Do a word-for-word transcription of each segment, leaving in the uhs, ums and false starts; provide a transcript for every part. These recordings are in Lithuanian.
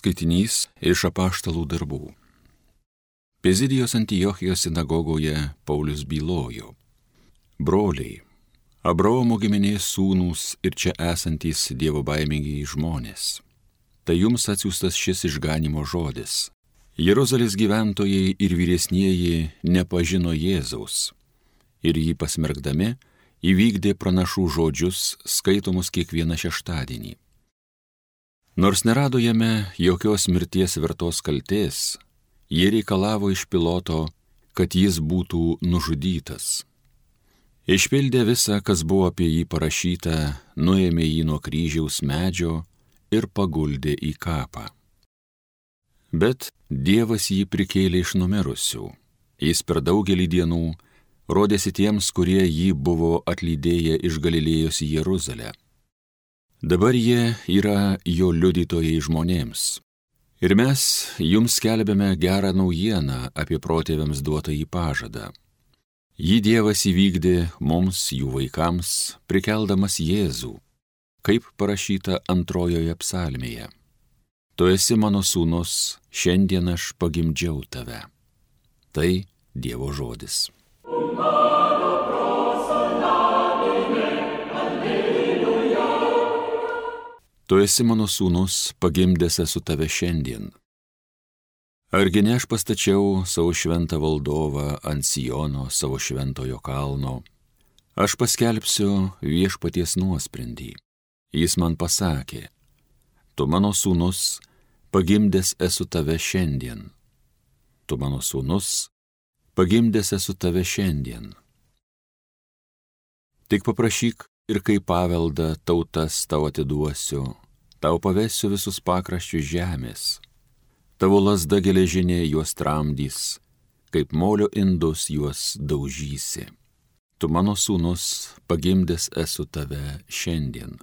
Skaitinys iš Apaštalų darbų. Pizidijos Antiochijos sinagogoje Paulius bylojo: Broliai, Abraomo giminės sūnūs ir čia esantys dievobaimingi žmonės, tai jums atsiųstas šis išganimo žodis. Jeruzalės gyventojai ir vyresnieji nepažino Jėzaus ir jį pasmerkdami įvykdė pranašų žodžius skaitomus kiekvieną šeštadienį. Nors nerado jame jokios mirties vertos kaltės, jie reikalavo iš Piloto, kad jis būtų nužudytas. Išpildė visą, kas buvo apie jį parašyta, nuėmė jį nuo kryžiaus medžio ir paguldė į kapą. Bet Dievas jį prikėlė iš numirusių. Jis per daugelį dienų rodėsi tiems, kurie jį buvo atlydėję iš Galilėjos į Jeruzalę. Dabar jie yra jo liudytojai žmonėms. Ir mes jums skelbiame gerą naujieną apie protėviams duotą į pažadą. Jį Dievas įvykdė mums, jų vaikams, prikeldamas Jėzų, kaip parašyta antrojoje psalmėje. Tu esi mano sūnus, šiandien aš pagimdžiau tave. Tai Dievo žodis. Tu esi mano sūnus, pagimdęs esu tave šiandien. Argi ne aš pastačiau savo šventą valdovą ant Siono, savo šventojo kalno. Aš paskelbsiu viešpaties nuosprendį. Jis man pasakė: Tu mano sūnus, pagimdęs esu tave šiandien. Tu mano sūnus, pagimdęs esu tave šiandien. Tik paprašyk ir kaip paveldą tautas tau atiduosiu, tau pavesiu visus pakraščius žemės. Tavo lazda geležinė juos tramdys, kaip molio indus juos daužysi. Tu mano sūnus, pagimdęs esu tave šiandien.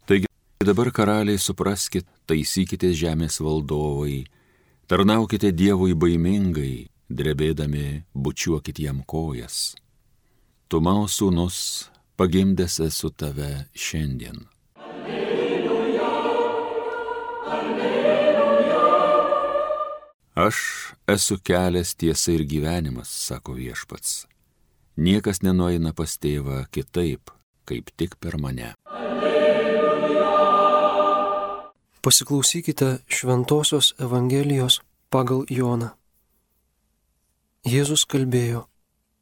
Taigi dabar karaliai supraskit, taisykite žemės valdovai, tarnaukite Dievui baimingai, drebėdami bučiuokit jam kojas. Tu mano sūnus, pagimdęs esu tave šiandien. Alleluja, alleluja. Aš esu kelias, tiesa ir gyvenimas, sako viešpats. Niekas nenueina pas tėvą kitaip, kaip tik per mane. Alleluja. Pasiklausykite Šventosios Evangelijos pagal Joną. Jėzus kalbėjo: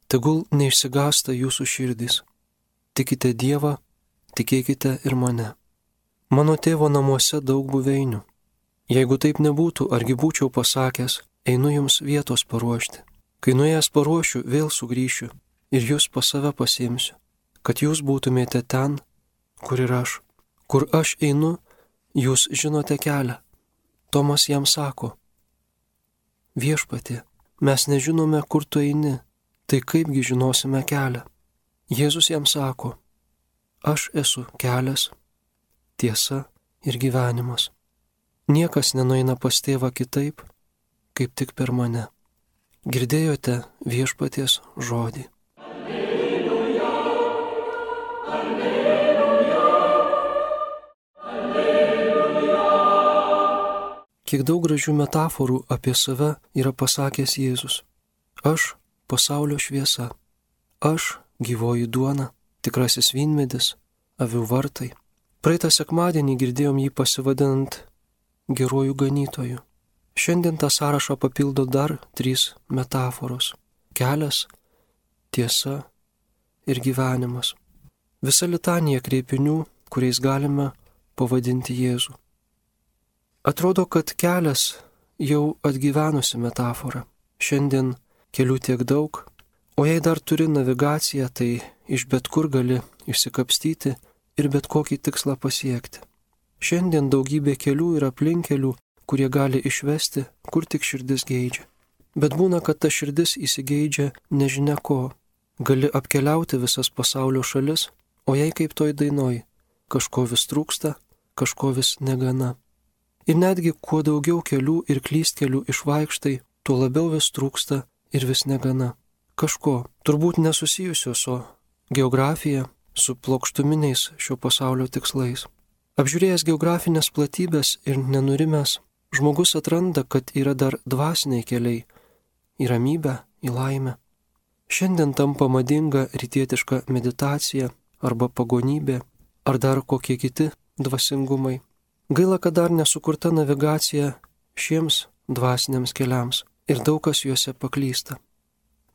Tegul neišsigąsta jūsų širdys. Tikite Dievą, tikėkite ir mane. Mano tėvo namuose daug buveinių. Jeigu taip nebūtų, argi būčiau pasakęs, einu jums vietos paruošti. Kai nuėjęs paruošiu, vėl sugrįšiu ir jūs pas save pasiimsiu, kad jūs būtumėte ten, kur ir aš. Kur aš einu, jūs žinote kelią. Tomas jam sako: Viešpatie, mes nežinome, kur tu eini, tai kaipgi žinosime kelią? Jėzus jam sako: Aš esu kelias, tiesa ir gyvenimas. Niekas nenueina pas tėvą kitaip, kaip tik per mane. Girdėjote viešpaties žodį. Alleluja, alleluja, alleluja. Kiek daug gražių metaforų apie save yra pasakęs Jėzus. Aš pasaulio šviesa. Aš gyvoji duona, tikrasis vynmedis, avių vartai. Praeitą sekmadienį girdėjom jį pasivadinant geruoju ganytoju. Šiandien tą sąrašą papildo dar trys metaforos – kelias, tiesa ir gyvenimas. Visa litanija kreipinių, kuriais galime pavadinti Jėzų. Atrodo, kad kelias jau atgyvenusi metafora. Šiandien kelių tiek daug, o jei dar turi navigaciją, tai iš bet kur gali išsikapstyti ir bet kokį tikslą pasiekti. Šiandien daugybė kelių ir aplinkelių, kurie gali išvesti, kur tik širdis geidžia. Bet būna, kad ta širdis įsigeidžia nežinia ko. Gali apkeliauti visas pasaulio šalis, o jei kaip toj dainoj, kažko vis trūksta, kažko vis negana. Ir netgi kuo daugiau kelių ir klystkelių išvaikštai, tuo labiau vis trūksta ir vis negana. Kažko, turbūt nesusijusio su geografija, su plokštuminiais šio pasaulio tikslais. Apžiūrėjęs geografinės platybės ir nenurimęs, žmogus atranda, kad yra dar dvasiniai keliai į ramybę, į laimę. Šiandien tampa madinga rytietiška meditacija arba pagonybė ar dar kokie kiti dvasingumai. Gaila, kad dar nesukurta navigacija šiems dvasiniams keliams ir daug kas juose paklysta.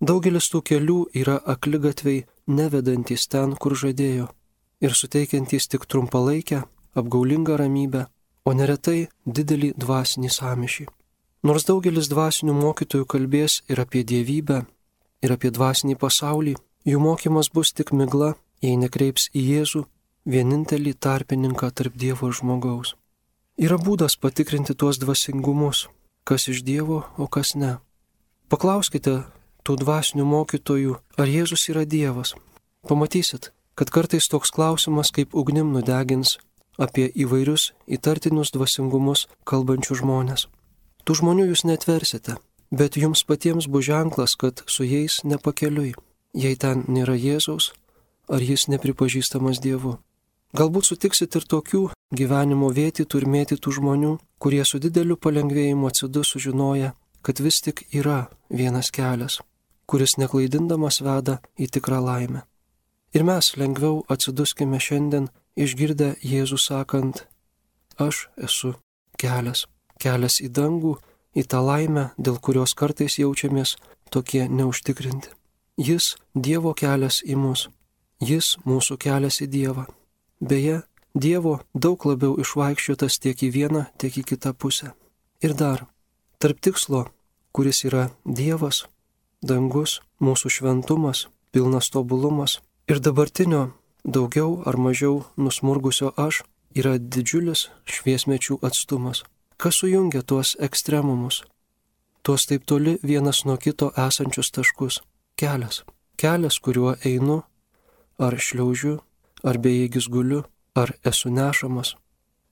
Daugelis tų kelių yra akligatviai, nevedantys ten, kur žadėjo, ir suteikiantys tik trumpalaikę, apgaulingą ramybę, o neretai didelį dvasinį sąmyšį. Nors daugelis dvasinių mokytojų kalbės ir apie dievybę, ir apie dvasinį pasaulį, jų mokymas bus tik migla, jei nekreips į Jėzų, vienintelį tarpininką tarp Dievo ir žmogaus. Yra būdas patikrinti tuos dvasingumus, kas iš Dievo, o kas ne. Paklauskite tų dvasinių mokytojų, ar Jėzus yra Dievas. Pamatysit, kad kartais toks klausimas kaip ugnim nudegins apie įvairius įtartinius dvasingumus kalbančių žmonės. Tų žmonių jūs netversite, bet jums patiems bus ženklas, kad su jais nepakeliui, jei ten nėra Jėzaus, ar jis nepripažįstamas Dievu. Galbūt sutiksit ir tokių gyvenimo vėtytų ir mėtytų žmonių, kurie su dideliu palengvėjimu atsidu sužinoja, kad vis tik yra vienas kelias, kuris neklaidindamas veda į tikrą laimę. Ir mes lengviau atsiduskime šiandien išgirdę Jėzų sakant, aš esu kelias, kelias į dangų, į tą laimę, dėl kurios kartais jaučiamės tokie neužtikrinti. Jis Dievo kelias į mus, jis mūsų kelias į Dievą. Beje, Dievo daug labiau išvaikščiotas tiek į vieną, tiek į kitą pusę. Ir dar, tarp tikslo, kuris yra Dievas, dangus, mūsų šventumas, pilnas tobulumas, ir dabartinio daugiau ar mažiau nusmurgusio aš, yra didžiulis šviesmečių atstumas. Kas sujungia tuos ekstremumus, tuos taip toli vienas nuo kito esančius taškus? Kelias. Kelias, kuriuo einu, ar šliaužiu, ar bejėgis guliu, ar esu nešamas.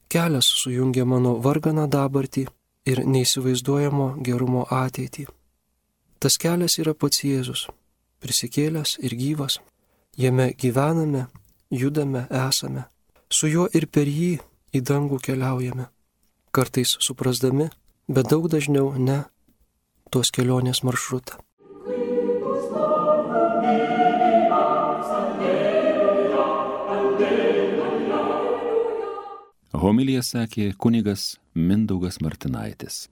Kelias sujungia mano varganą dabartį ir neįsivaizduojamo gerumo ateitį. Tas kelias yra pats Jėzus, prisikėlęs ir gyvas. Jame gyvename, judame, esame. Su juo ir per jį į dangų keliaujame. Kartais suprasdami, bet daug dažniau ne, tos kelionės maršrutą. Homiliją sakė kunigas Mindaugas Martinaitis.